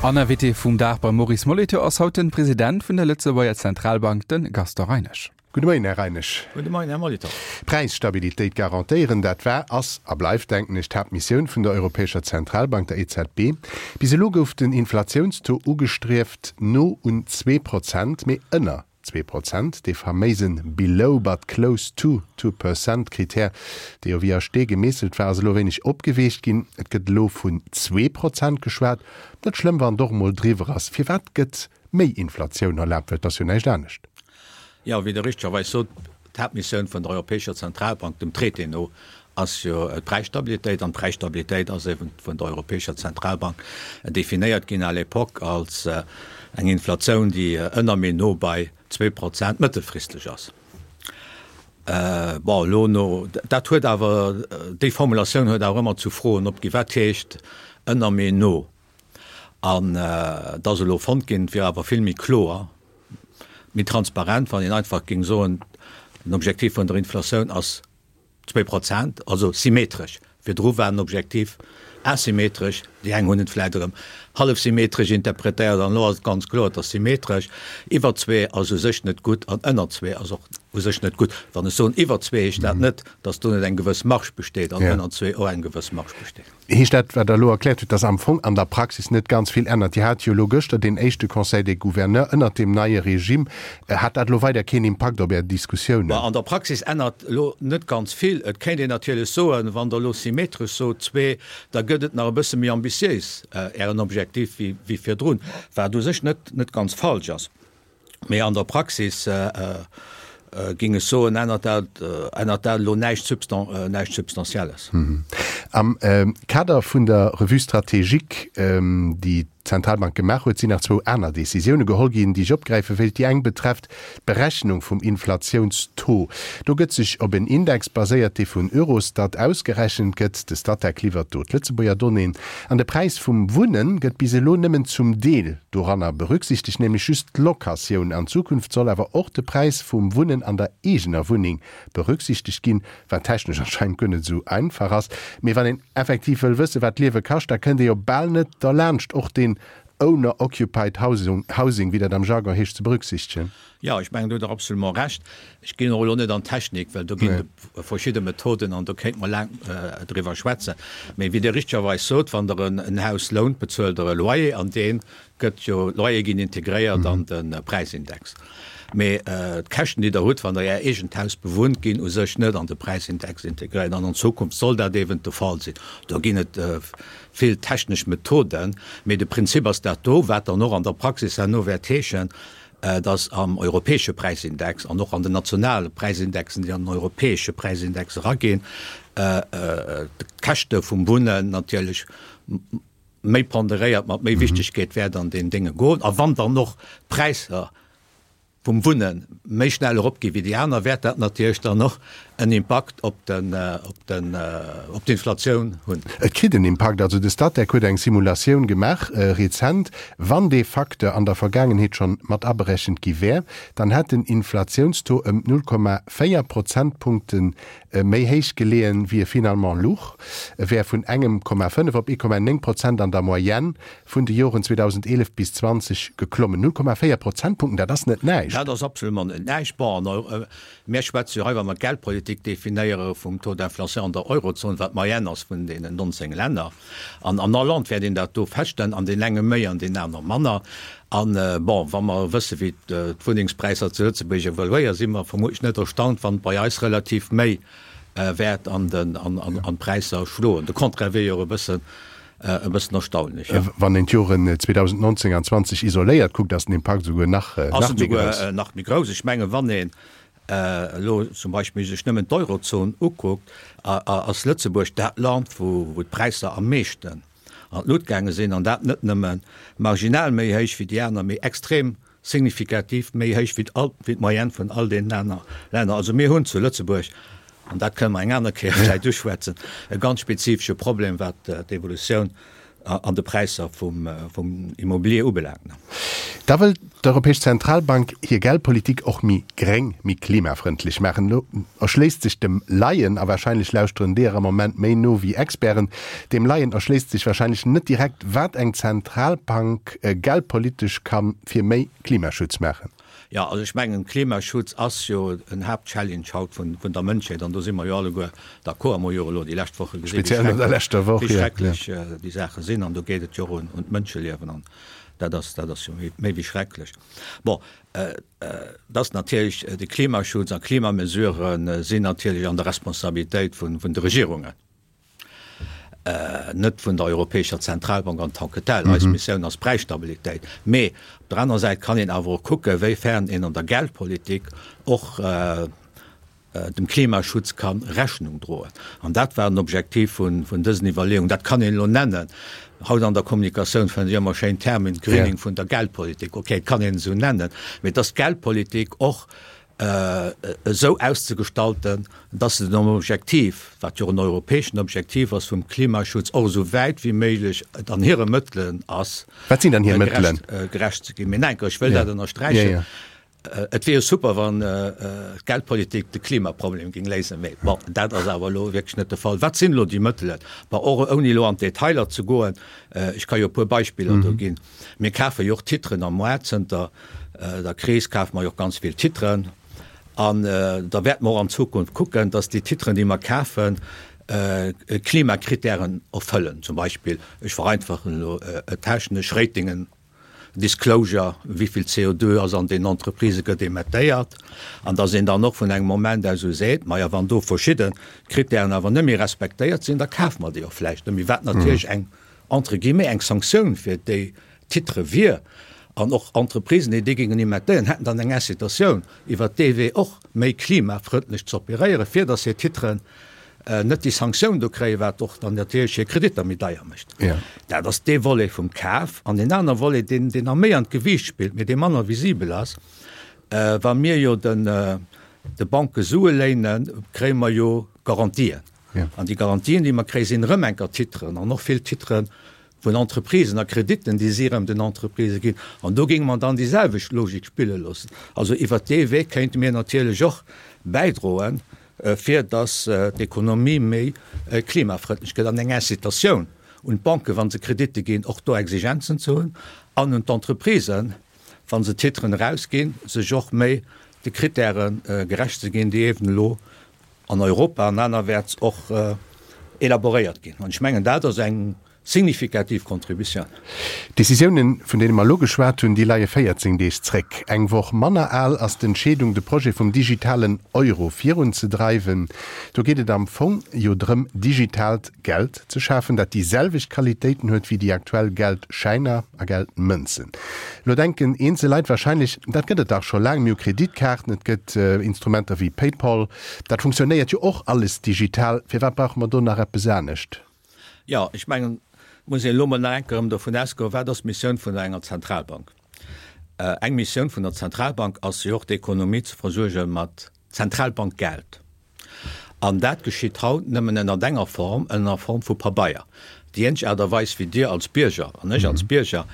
An Invité vum Dag beim Maurice Molitor ass haut den President vun der Lëtzebuerger Zentralbank, den Gaston Reinesch. Gudde Moien, Här Reinesch. Gudde Moien, Här Molitor. Präisstabilitéit garantéieren, dat war, ass a bleift, denken ech, d'Haaptmissioun vun der Europäescher Zentralbank, der EZB. Bis elo gouf den Inflatiounstaux ugestrieft no un 2%, mee ënner 2%, dee faméisen below but close to 2% Krittär, dee jo wéi a Stee gemeesselt war, ass elo e wéineg opgeweecht ginn. Et gëtt elo vun 2% geschwat. Net schlëmm, wann et och emol driwwer ass. Firwat gëtt méi Inflatioun erlaabt? Well et ass jo näischt anescht. Jo, wéi Der richtegerweis sot, d'Haaptmissioun vun der Europäescher Zentralbank, dem Traité no, ass jo d'Präisstabilitéit. An d'Präisstabilitéit ass eben vun der Europäescher Zentralbank definéiert ginn à l'époque als eng Inflatioun, déi ënner mee no bei 2% mëttelfristeg ass. Bon, elo no, dat huet awer, déi Formulatioun huet awer ëmmer zu Froen opginn, Wat heescht ënner mee no? An et ass elo fonnt ginn, et wier awer vill méi kloer, méi transparent, wann een einfach géing soen, den Objektiv vun der Inflatioun ass 2%, also symmetresch. Virdru war den Objektiv asymmetresch, déi eng hunn et vläicht erëm hallefsymmetresch interpretéiert an elo ass et ganz kloer, et ass symmetresch. Iwwer zwee ass u sech net gutt an ënner zwee ass och u sech net gutt. Wann ech soen iwwer zwee, heescht dat net, datt do net eng gewëss Marge besteet an ënner zwee och eng gewëss Marge besteet. Heescht dat, wat Der elo erkläert hutt, dass am Fong an der Praxis net ganz vill ännert? Dir hat jo elo gëschter deen éischte Conseil des Gouverneurs ënnert deem neie Regime. Hat dat elo weider keen Impakt op Är Diskussiounen? Bon, an der Praxis ännert elo net ganz vill. Et kéint een natierlech soen, wann Der elo symmetresch sot, zwee, da gëtt et nach e bësse méi ambitiéis, Ären Objektiv, wéi virdrun, wat u sech net net ganz falsch ass. Mee an der Praxis géing ech soen, ännert dat, ännert dat elo näischt näischt Substantielles. Am Kader vun der Revue stratégique, déi d'Zentralbank gemaach huet, sinn nach zwou aner Decisioune geholl ginn, déi ech opgräife wéilt. Déi eng betrefft d'Berechnung vum Inflatiounstaux. Do gëtt sech op en Index baséiert, dee vun Eurostat ausgerechent gëtt. De Statec liwwert do d'Lëtzebuerger Donnéeën. An de Präis vum Wunne gëtt bis elo nëmmen zum Deel doranner berücksichtegt, nämlech just d'Locatioun. An Zukunft soll awer och de Präis vum Wunnen an der eegener Wunneng berücksichtegt ginn, wat technesch anscheinend guer net esou einfach ass. Mee wann een effektiv wëll wëssen, wat d'Liewe kascht, da kënnt ee jo bal net derlaanscht, och deen Owner-Occupied Housing, wéi dat am Jargon heescht, ze berücksichtegen. Jo, ech mengen, do hutt Der absolument Recht. Ech ginn och elo net an d'Technik, well do ginn et verschidde Methoden an do kéinte mer laang driwwer schwätzen. Mee wéi Dir richtegerweis sot, wann Der en Haus lount, bezuelt Der e Loyer an dee gëtt jo, d'Loyere ginn integréiert an de Präisindex. Mee d'Käschten, déi Der hutt, wann Der Är eegent Haus bewunnt, ginn u sech net an de Präisindex integréiert. An an Zukunft soll dat eeben de Fall sinn. Do ginn et vill technesch Methoden, mee de Prinzip ass dat do, wat dann och an der Praxis herno wäert heeschen, dass am europäesche Präisindex an och an den nationale Präisindexen, déi an den europäesche Präisindex eraginn, d'Käschte vum Wunnen natierlech méi ponderéiert, mat méi Wichtegkeet wäert an deen Dénge goen. A wann dann och d'Präisser vum Wunne méi schnell eropgi wéi déi aner, wäert dat natierlech dann och en Impakt op den, op den, op d'Inflatioun hunn. Et kritt en Impakt. Also de Statec huet eng Simulatioun gemaach rezent. Wann dee Facteur an der Vergaangenheet schonn mat aberechent gi wär, dann hätt den Inflatiounstaux ëm 0,4 Prozentpunkte méi héich geleeën, wéi e finalement luch. E wär vun engem Komma 5 op 1,9 Prozent an der Moyenne vun de Joren 2011 bis 20 geklommen. 0,4 Prozentpunkten, dat ass net näischt. Dat ass absolument net näischt. Bon, an Mir schwätze jo hei, wa mer d'Geldpolitik definéiere, vum Taux d'inflation an der Eurozon, wat d'Moyenne ass vun deenen 19 Länner. An an all Land wäert een dat do feststellen, an deen enge méi, an deen aner manner. An, bon, wa mer wësse wéi d'Wunnengspräisser zu Lëtzebuerg evoluéieren, si mer vermutlich net erstaunt, wann et bei eis relativ méi wäert an d'Präisser schloen. De Contraire wier jo och e bëssen e bëssen erstaunlech, jo. Wann een d'Joren 2019 an 20 isoléiert kuckt, ass den Impakt esouguer nach méi grouss. Nach méi grouss. Ech mengen, wann een elo zum Beispill sech nëmmen d'Eurozon ukuckt, ass Lëtzebuerg dat Land, wou d'Präisser am meeschten an d'Lut gaange sinn, an dat net nëmme marginal méi héich wéi déi aner, mee extrem signifikativ méi héich wéi d'Moyenne vun all deenen aner Länner. Also mir hunn zu Lëtzebuerg, an dat kënne mer eng aner Kéier vläicht uschwätzen, e ganz spezifesche Problem, wat d'Evolutioun. An de Präisser vum Immobilier ubelaangt. Da wëll d'Europäesch Zentralbank hir Geldpolitik och méi gréng, méi klimafrëndlech maachen. Elo erschléisst sech dem Laien, a warscheinlech lauschteren deeër am Moment méi no wéi Experten, dem Laien erschléisst sech warscheinlech net direkt, wat eng Zentralbank geldpolitesch ka fir méi Klimaschutz maachen. Jo, also ech mengen, Klimaschutz ass jo en Haaptchallenge haut vun der Mënschheet an do si mer jo alleguer d'accord. Mer hu jo elo déi lescht Woche gesinn, wéi schrecklech déi Saache sinn an do geet et jo och un d'Mënscheliewen an dat ass, dat ass jo méi wéi schrecklech. Bon, et ass natierlech, de Klimaschutz a Klimamesurë sinn natierlech an der Responsabilitéit vun de Regierungen. net vun der Europäescher Zentralbank en tant que telle. Eis Missioun ass Präisstabilitéit. Mee op der anerer Säit kann een awer och kucken, wéi fern een an der Geldpolitik och dem Klimaschutz ka Rechnung droen. An dat war den Objektiv vun dësen Iwwerleeungen. Dat kann een elo nennen, haut an der Kommunikatioun fënnt ee ëmmer schéin Termen, Greening vun der Geldpolitik. Okay, et kann een et esou nennen, mee dass d'Geldpolitik och esou auszegestalten, dass se dem Objektiv, wat jo och en europäeschen Objektiv ass vum Klimaschutz, och esou wäit wéi méiglech et an hire Mëttelen ass, Wat sinn dann hir Mëttelen? gerecht ze ginn. Mee enker, ech wëll dat ënnersträichen, Et wier jo super, wann d'Geldpolitik de Klimaproblem géing léisen, mee bon, dat ass awer elo wierklech net de Fall. Wat sinn elo déi Mëttelen? Bon, och ouni elo an d'Detailer ze goen, ech ka jo e puer Beispiller do ginn. Mir kafe jo och Titren am Moart. Zënter der Kris kafe mer jo och ganz vill Titren. An da wäerte mer och an Zukunft kucken, dass déi Titren, déi mer kafen, Klimakritären erfëllen. Zum Beispill, ech vereinfachen elo technesch, Ratingen, Disclosure, wéi vill CO2 ass an deenen Entreprisë gëtt emettéiert. An dass een dann och vun engem Moment aus u seet, maja wann do verschidde Kritären awer net méi respektéiert sinn, da kafe mer déi och vläicht net méi, wat natierlech eng entre guillemets, eng Sanktioun fir déi Titre wier, an och Entreprisen, déi déi géingen emettéieren, hätten dann eng Incitatioun, iwwert dee Wee och méi klimafrëndlech ze operéieren, fir datt hir Titren net déi Sanktioun do kréien, wat och dann natierlech hir Kreditter méi deier mécht. Dat ass dee Volet vum Kaf. An deen anere Volet, deen, deen nach méi an d'Gewiicht spillt, mee dee manner visibel ass, Wa mir jo den de Banke Sue léinen, kréie mer jo Garantien. An déi Garantien, déi mer kréien, sinn erëm enker Titren an och vill Titre vun Entreprisen a Krediten, déi si erëm den Entreprisë ginn. An do géinge mer dann déi selwecht Logik spille loossen. Also iwwert dee Wee kéinte mir natierlech och bäidroen, fir datt d'Ekonomie méi klimafrëndlech gëtt an eng Incitatioun un d'Banken, wa se Kreditte ginn, och do Exigenzen ze hunn an un d'Entreprisen, wa se Titren erausginn, sech och méi de Kritäre gerecht ze ginn, déi eeben elo an Europa an anerwäerts och elaboréiert ginn. An ech mengen, dat ass eng signifikativ Contributioun. D'Décisiounen, vun deene mer elo geschwat hunn, déi leie 14 Deeg zréck. Eng Woch manner al ass d'Entscheedung, de Projet vum digitalen Euro virunzedreiwen. Do geet et am Fong jo drëm, digitaalt Geld ze schafen, dat déi selwecht Qualitéiten huet wéi déi aktuell Geldschäiner a Geldmënzen. Elo denken eenzel Leit warscheinlech, dat gëtt et dach scho laang, mir hu Kreditkaarten, et gëtt Instrumenter wéi Paypal, dat funktionéiert jo och alles digital, firwat brauche mer do nach eppes anescht? Jo, ech mengen, et muss een elo mol nach eng Kéier erëm dovun ausgoen, wat ass d'Missioun vun enger Zentralbank? Eng Missioun vun der Zentralbank ass jo och d'Ekonomie ze versuerge mat Zentralbankgeld. An dat geschitt haut nëmmen ënnert enger Form, ënner Form vu Pabeier. Déi eenzeg Aart a Weis, wéi Dir als Bierger an ech als Bierger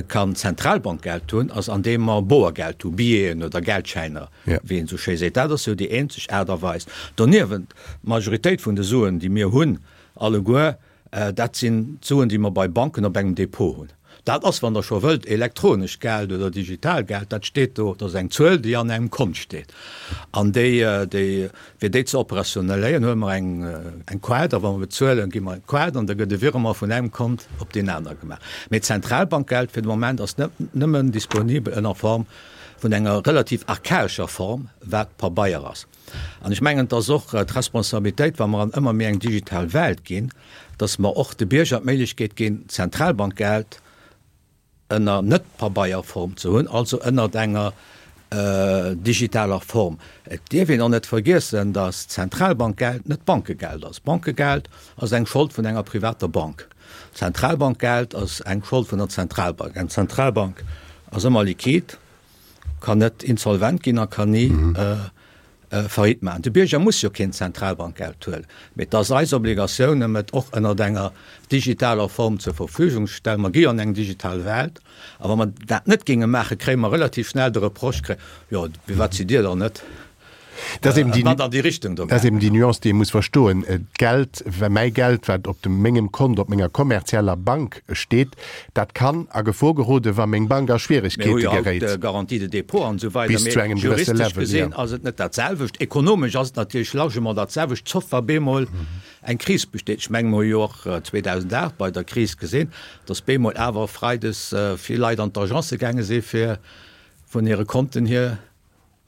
kann Zentralbankgeld hunn, ass andeem mer Boergeld hu, Billeten oder Geldschäiner, wéi een esou schéi seet. Dat ass jo déi eenzeg Aart a Weis. Doniewent, d'Majoritéit vun de Suen, déi mir hunn alleguer, Dat sinn d'Suen, déi mer bei Banken op engem Depot hunn. Dat ass, wann Der scho wëllt, elektronescht Geld oder digital Geld. Dat steet do, dat ass eng Zuel, déi an engem Kont steet. An déi, déi, fir déi ze operationelléieren, huele mer eng, eng Kaart a wa mer bezuelen, gi mer d'Kaart an da gëtt e Virement vun engem Kont op deen anere gemaach. Mee d'Zentralbankgeld fir de Moment ass net nëmmen disponibel ënner Form vun enger relativ archaescher Form, wat Pabeier ass. An ech mengen, et ass och d'Responsabilitéit, wa mer an ëmmer méi eng digital Welt ginn, dass mer och de Bierger d'Méiglechkeet ginn, Zentralbankgeld ënner Net-Pabeierform ze hunn, also ënnert enger digitaler Form. Et dierf een och net vergiessen, dass Zentralbankgeld net Bankegeld ass. Bankegeld ass eng Schold vun enger privater Bank. Zentralbankgeld ass eng Schold vun der Zentralbank. Eng Zentralbank ass ëmmer liquid. Kann net insolvent ginn a kann ni. Faillite maachen. De Bierger muss jo keen Zentralbankgeld huelen, mee et ass eis Obligatioun, em et och ënnert enger digitaler Form zur Verfügung ze stellen. Mer gi jo an eng digital Welt, a wa mer dat net géinge maachen, kréie mer relativ schnell de Reproche, jo, firwat sidd Dir dann net Dat ass eben déi, mat an déi Richtung do dat ass eben déi Nuance, déi ee muss verstoen. D'Geld, mäi Geld, wat op dem mengem Kont, op menger kommerzieller Bank steet, dat kann a Gefor geroden, wa meng Bank a Schwieregkeete geréit. Mir hu jo haut Garantie de dépôt an esou weider, Bis zu engem gewësse Level, jo. Juristesch gesinn ass et net dat selwecht. Ekonomesch ass et natierlech largement dat selwecht, sauf wa bemol eng Kris besteet. Ech menge mer hu jo och 2008 bei der Kris gesinn, datt bemol awer freides vill Leit an d'Agencë gaange si fir vun hire Konten hier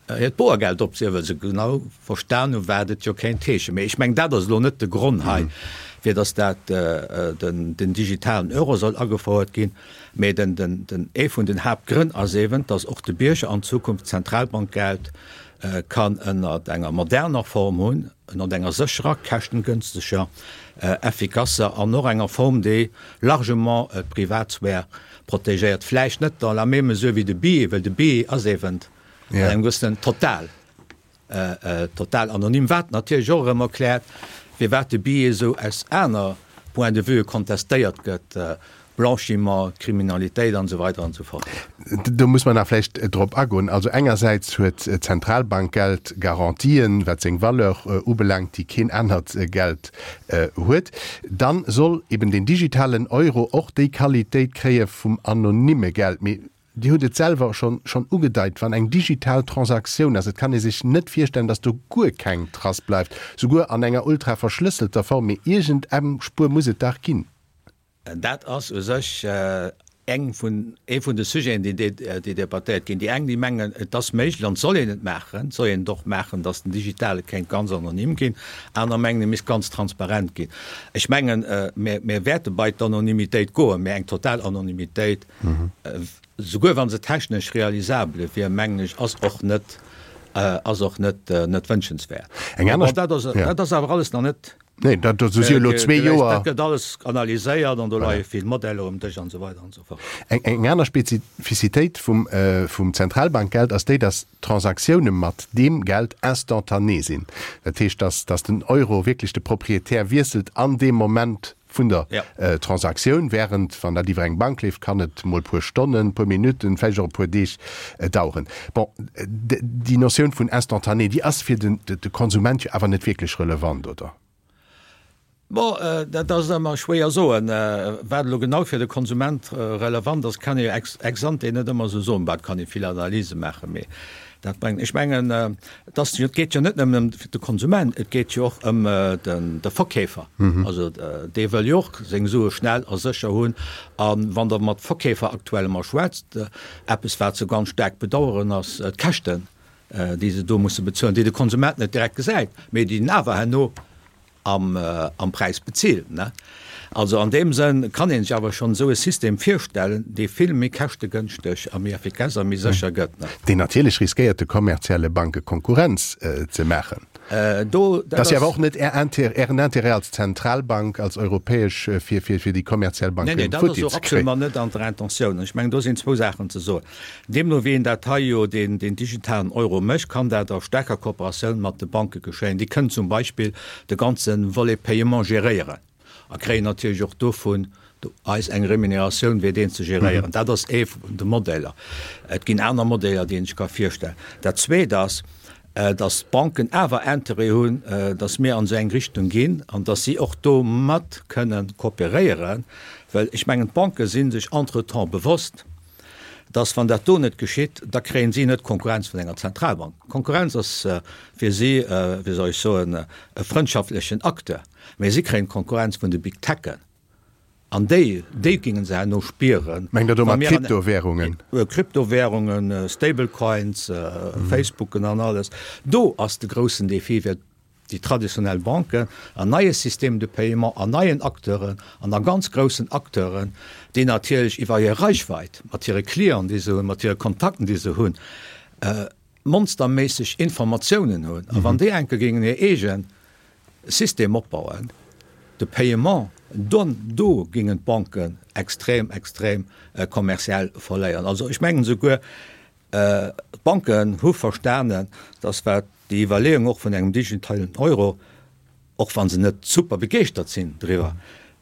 hiert Boergeld opzehiewen, well se genau verstan hunn, wat et jo kéint heeschen. Mee ech mengen, dat ass elo net de Gronn hei, fir datt dat den digitalen Euro soll agefouert ginn. Mee den, den, ee vun den Haaptgrënn ass eeben, datt och de Bierger an Zukunft Zentralbankgeld kann ënnert enger moderner Form hunn, ënnert enger sécherer, käschtengünsteger, effikasser an och enger Form, déi largement d'Privatsphär protegéiert. Vläicht net dans la même mesure wéi de Billet, well de Billet ass eeben an engem gewëssenen total, total anonym, wat natierlech och erëm erkläert, firwat de Billet esou aus aner Point de vue kontestéiert gëtt, Blanchiment, Kriminalitéit an esou weider an esou fort. Do muss mer nach vläicht drop agoen. Also engersäits huet d'Zentralbankgeld Garantien, wat seng Valeur ubelaangt, déi keen anert Geld huet. Dann soll eben den digitalen Euro och déi Qualitéit kréie vum anonyme Geld. Mee Dir hutt et selwer schonn schonn ugedeit, wann eng digital Transaktioun ass, et kann ee sech net virstellen, datt do guer keng Trace bleift, souguer an enger ultra verschlësselter Form, mee iergend eng Spuer muss et dach ginn. Dat ass u sech eng vun, ee vun de Sujeten, déi déi debattéiert ginn. Déi eng, déi mengen, et ass méiglech an et soll een et maachen, et soll een et och maachen, datt den Digitale kéint ganz anonym ginn. Aner mengen, e misst ganz transparent ginn. Ech mengen, mir mir wäerte bei d'Anonymitéit goen, mä eng total Anonymitéit, Souguer wa se technesch realisabele wier, mengen ech, ass och net, ass och net, net wënschenswäert. Eng aner. Bon, dat ass, dat ass awer alles nach net. Nee, dat, do si jo elo zwee Joer. Dat gëtt alles analyséiert an do leie vill Modeller um Dësch an esou weider an esou fort. Eng, eng aner Spezifizitéit vum, vum Zentralbankgeld ass déi, dass d'Transaktiounen mat deem Geld instantané sinn. Dat heescht, dass, dass den Euro wierklech de Proprietär wiesselt an deem Moment, vun der Transaktioun, während wann dat iwwer eng Bank leeft, kann et mol puer Stonnen, puer Minutten, vläicht och e puer Deeg daueren. Bon, déi Notioun vun instantané, déi ass fir de Konsument jo awer net wierklech relevant, oder? Bon, dat ass ëmmer schwéier soen. Wat elo genau fir de Konsument relevant ass, kann ee jo ex ante net ëmmer esou soen. Bah, et kann ee vill Analyse maachen, mee Dat bréngt, ech mengen, et ass jo, et geet jo net nëmmen ëm de Konsument, et geet jo och ëm den, de Verkeefer. Also dee wëll jo och seng Sue schnell a sécher hunn. A wann Der mat Verkeefer aktuell emol schwätzt, eppes wat se ganz staark bedauern, ass d'Käschten, déi se do musse bezuelen, déi de Konsument net direkt gesäit, mee déi en awer herno am Präis bezilt. Also an deem Sënn kann ee sech awer schonn esou e System virstellen, dee vill méi käschtegënschteg a méi effikass a méi sécher gëtt. Deen natierlech riskéiert, de kommerzielle Banke Konkurrenz ze maachen. Do, dat ass jo awer och net Är Intérêt, Ären Intérêt als Zentralbank, als europäesch, fir, fir, fir déi kommerziell Banke futti ze kréien. Nee, nee, dat ass och absolument net an der Intentioun. Ech mengen, do sinn zwou Saachen ze soen. Deemno wéi een dat hei jo, deen digitalen Euro mécht, kann dat a staarker Kooperatioun mat de Banke geschéien. Déi kënnen zum Beispill de ganze Volet Paiement geréieren a kréien natierlech och do vun eis eng Remuneratioun, fir deen ze geréieren. Dat ass ee vun de Modeller. Et ginn aner Modeller, déi een sech ka virstellen. Dat Zweet ass, dass d'Banken awer Interêt hunn, dass mir an esou eng Richtung ginn an dass si och do mat kënnen kooperéieren, well ech mengen, d'Banke si sech entretemps bewosst, dass wann dat do net geschitt, da kréien si net d'Konkurrenz vun enger Zentralbank. Konkurrenz ass fir si, wéi soll ech soen, e frëndschaftlechen Acteur, mä si kréien d'Konkurrenz vun de Big Techen an déi, déi géinge se herno spieren. Mengt Der domat Kryptowährungen? Kryptowährungen, Stablecoins, Facebooken an alles. Do ass de groussen Défi fir déi traditionell Banken an neie Systèmes de paiement an neien Acteuren an a ganz groussen Acteuren, déi natierlech iwwer hir Reichweit, mat hire Clienten, déi se hunn, mat hire Kontakten, déi se hunn, monsterméisseg Informatiounen hunn. A wann déi enke géingen hir eege System opbauen, de Paiement, dann do géingen d'Banken extrem, extrem kommerziell verléieren. Also ech mengen souguer, d'Banken hu verstanen, dass wat. déi Iwwerleeung och vun engem digitalen Euro, och wa se net super begeeschtert sinn driwwer,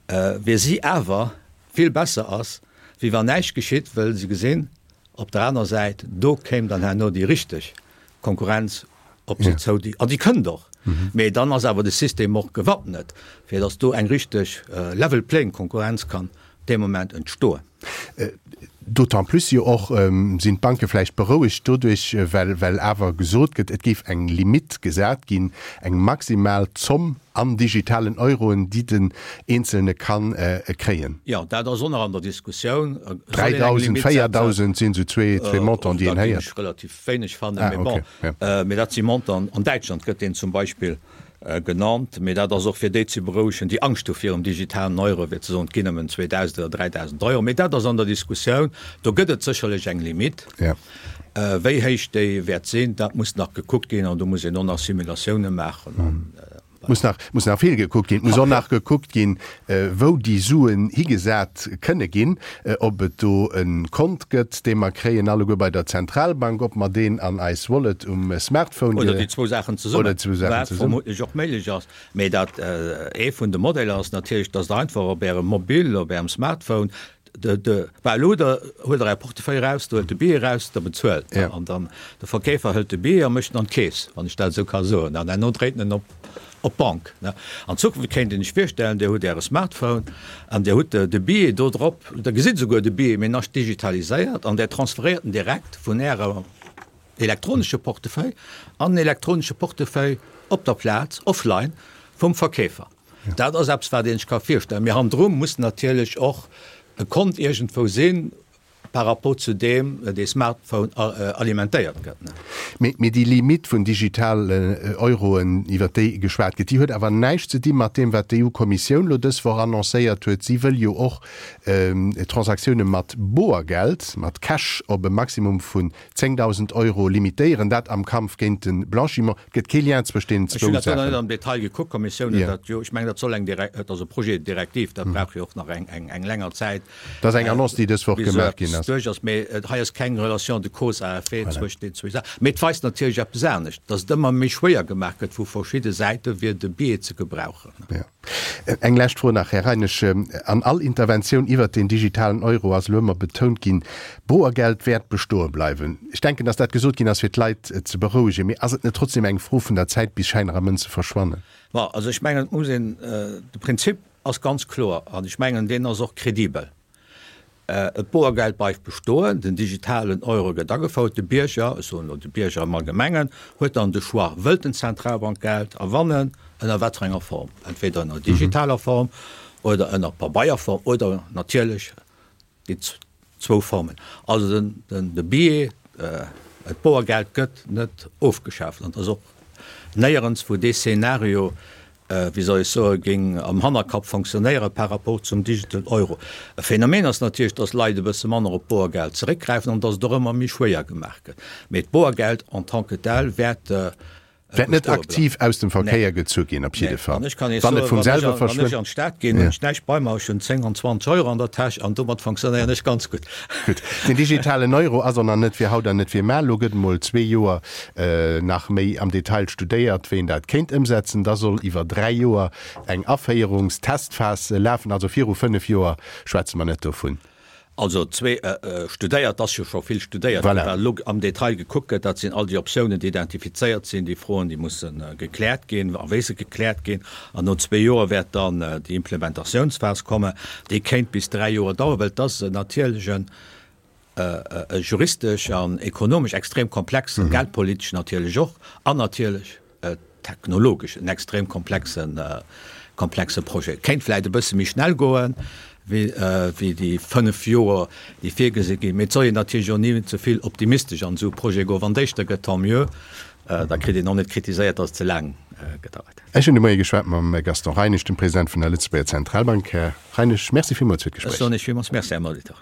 fir si awer vill besser ass, wéi wann näischt geschitt, wëll se gesinn, op der anerer Säit, do kéim dann herno déi richteg Konkurrenz op si zou, déi, an déi kënnt och, mee dann ass awer de System och gewappnet, fir datt do eng richteg level playing Konkurrenz kann dee Moment entstoen. D'autant plus jo och sinn d'Banke vläicht berouegt doduerch, well, well awer gesot gëtt, et géif eng Limitt gesat ginn, eng maximal Zomm an digitalen Euroen, déi den Eenzelne ka kréien. Jo, dat ass och nach an der Diskussioun. 3.000, 4.000 sinn esou zwee Montanten, déi een héiert. Dat géif ech relativ wéineg fannen, mee bon. Mee dat si Montanten. An Däitschland gëtt deen zum Beispill genannt, mee dat ass och fir déi ze berouegen, déi Angscht hu virum digitalen Euro, fir ze soen, et ginn nëmmen 2.000 oder 3.000 Euro. Mee dat ass an der Diskussioun. Do gëtt et sécherlech eng Limitt. Wéi héich déi wäert sinn, dat muss nach gekuckt ginn an do muss een och nach Simulatioune maachen. Muss nach, muss nach vill gekuckt ginn. Et muss och nach gekuckt ginn, wou déi Suen higesat kënne ginn, ob et do e Kont gëtt, dee mer kréien alleguer bei der Zentralbank, ob mer deen an eis Wallet um Smartphone ge. Oder déi zwou Saachen zesummen, Oder zwou Saachen wat zesummen. vermuttlech och méiglech ass. Mee dat, ee vun de Modeller ass natierlech, dass Der einfach op Ärem Mobil, op Ärem Smartphone De, de, bah, elo der, huelt Der Är Portefeuille eraus, der huelt de Billet eraus, der bezuelt. Ja. An dann, de Verkeefer hëlt de Billet a mécht en an d'Keess, wann ech dat esou ka soen. An herno dréit en en op, op d'Bank, ne. An Zukunft kéint een sech virstellen, Dir hutt Äre Smartphone an Dir hutt de, de Billet do drop, Der gesitt esouguer de Billet, mee en ass digitaliséiert an Der transferéiert en direkt vun Ärer elektronesche Portefeuille an den elektronesche Portefeuille op der Plaz, offline, vum Verkeefer. Dat ass eppes, wat ee sech ka virstellen. Mee hannendru muss natierlech och e Kont iergendwou sinn, par rapport zu deem dee Smartphone alimentéiert gëtt. Mee déi Limitt vun digitalen Euroen, iwwer déi geschwat gëtt, déi huet awer näischt ze di mat deem, wat d'EU-Kommissioun elo dës Woch annoncéiert huet. Si wëll jo och Transaktioune mat Boergeld, mat Cash, op e Maximum vun 10.000 Euro limitéieren, dat am Kampf géint de Blanchiment. Et gëtt kee Lien zwëscht deenen zwou Saachen. Ech hunn dat do nach net am Detail gekuckt. D'Kommissioun huet dat jo, ech mengen, dat soll eng Direk-, et ass e Projet de directive, dat brauch jo och nach eng, eng, eng länger Zäit. Dat ass eng Annonce, déi dës Woch bis gemaach ginn eppes ass. duerch ass. Mee hei ass keng Relation de cause à effet zwëscht deenen zwou Saachen. Mee et weist natierlech eppes anescht, dass et ëmmer méi schwéier gemaach gëtt vu verschidde Säite fir de Biais ze gebrauchen. Jo. Eng lescht Fro nach, Här Reinisch. An all Interventioun iwwert den digitalen Euro ass elo ëmmer betount ginn, Boergeld wäert bestoe bleiwen. Ech denken, datt dat gesot ginn ass, fir d'Leit ze berouegen. Mee ass et net trotzdem eng Fro vun der Zäit, bis Schäiner a Mënze verschwannen? Bon, also ech mengen, et muss een, de Prinzip ass ganz kloer an ech mengen, deen ass och kredibel. D'Boergeld bleift bestoen, den digitalen Euro gëtt agefouert. De Bierger, ech soen elo de Bierger am Allgemengen, huet dann de Choix, wëllt en Zentralbankgeld erwannen, ënner wat fir enger Form, entweder ënner digitaler Form oder ënner Pabeierform oder natierlech déi zwou Formen. Also den, de Billet, d'Boergeld gëtt net ofgeschaaft an et ass och néierens wou dee Szenario wéi soll ech soen, géing am Hannerkapp fonctionnéiere par rapport zum Digital Euro. E Phänomen ass natierlech, dass Leit e bësse manner op Boergeld zeréckgräifen an dass et och ëmmer méi schwéier gemaach gëtt. Mee d'Boergeld en tant que tel wäert Wäert net aktiv aus dem Verkéier gezu ginn, op jidde Fall. An ech kann Iech soen, wann ech wann ech an d'Stad ginn, hunn ech näischt bei mer, ech hunn 10 an 20 Euro an der Täsch an domat fonctionnéieren ech ganz gutt. Gutt, den digitalen Euro ass och nach net fir haut an net fir mar. Elo gëtt emol zwee Joer nach méi am Detail studéiert, wéi een dat kéint ëmsetzen. Da soll iwwer 3 Joer eng Aféierungstestphas lafen. Also viru 5 Joer schwätze mer net dovun. Also zwee studéiert, ass jo scho vill studéiert ginn. Wat elo am Detail gekuckt gëtt, dat sinn all déi Optiounen, déi identifizéiert sinn, déi Froen, déi musse gekläert ginn a wéi se gekläert ginn. An no zwee Joer wäert dann déi Implementatiounsphas kommen. Déi kéint bis 3 Joer daueren, well et ass natierlech en e juristesch an ekonomesch extrem komplexen, geldpolitesch natierlech och, an natierlech technologesch en extrem komplexen, komplexe Projet. Kéint vläicht e bësse méi schnell goen, wéi, wéi déi 5 Joer, déi virgesi ginn, mee et soll een natierlech och ni ze vill optimistesch an esou e Projet goen. Wann et éischter gëtt, tant mieux, da kritt een och net kritiséiert, datt et ze laang gedauert hätt. Ech hunn de Moie geschwat mam Gaston Reinesch, dem President vun der Lëtzebuerger Zentralbank. Här Reinesch, Merci villmools fir d'Gespréich. Ech soen Iech villmools Merci, Här Molitor.